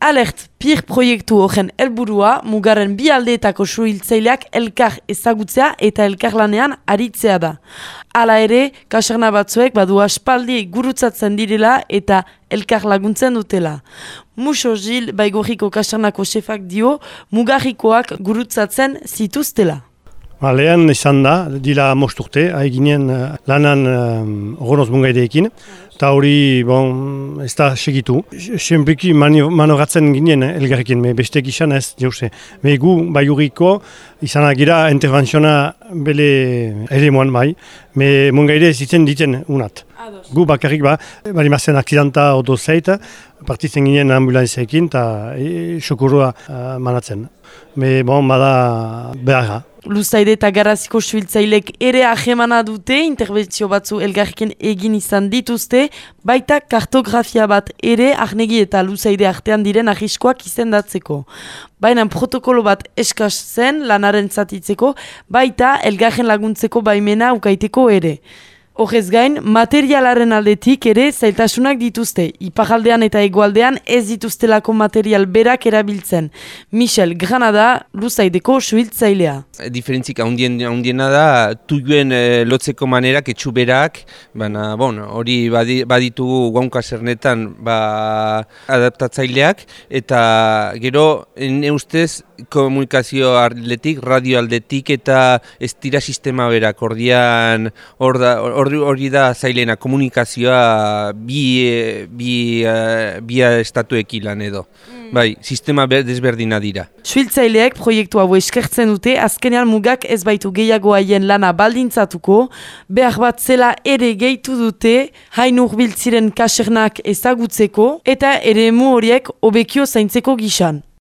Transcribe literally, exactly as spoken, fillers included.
Alert, PIR proiektu horren helburua mugaren bi aldeetako suhiltzaileak elkar ezagutzea eta elkarlanean aritzea da. Hala ere, kaserna batzuek badu aspaldi gurutzatzen direla eta elkar laguntzen dutela. Muxo Gil Baigorriko kasernako xefak dio mugarrikoak gurutzatzen zituztela. Ba, lehen izan da, dila mosturte, haiginen uh, lanan uh, Ronoz Mungaideekin, eta hori, bon, ez da segitu. Senpliki manoratzen ginen eh, elgarrekin, me bestek izan ez, jauze. Me gu, Baigorriko, izan agira interventziona bele ere moan bai, me Mungaide zitzen diten unat. Gu bakarrik ba, bali mazen aksidanta oto zeit, partitzen ginen ambulanzeekin eta e, sokorroa uh, manatzen. Me bon, bada beharra. Luzaide eta Garaziko suhiltzailek ere ahemana dute, interbentzio batzu elgarrekin egin izan dituzte, baita kartografia bat ere Arnegi eta Luzaide artean diren arriskoak izendatzeko. Baina protokolo bat eskas zen lanaren zatitzeko, baita elgarren laguntzeko baimena ukaiteko ere. Horrez gain, materialaren aldetik ere zailtasunak dituzte. Iparaldean eta hegoaldean ez dituztelako material berak erabiltzen. Michel Granada, Luzaideko suhiltzailea. Diferentzik handiena da, tuioen e, lotzeko manerak etxu berak, baina bon, hori badi, baditu guaunka zernetan ba, adaptatzaileak, eta gero, ne ustez, komunikazio aldetik, radio aldetik eta ez dira sistema berak, ordian hori hor da zailena komunikazioa bi, bi, bi estatuekin lan edo. Mm. Bai, sistema desberdina dira. Suhiltzaileek proiektu hau eskertzen dute, azkenean mugak ez baitu gehiago haien lana baldintzatuko, behar bat zela ere gehitu dute, hain hurbiltziren kasernak ezagutzeko eta eremu horiek hobekio zaintzeko gisan.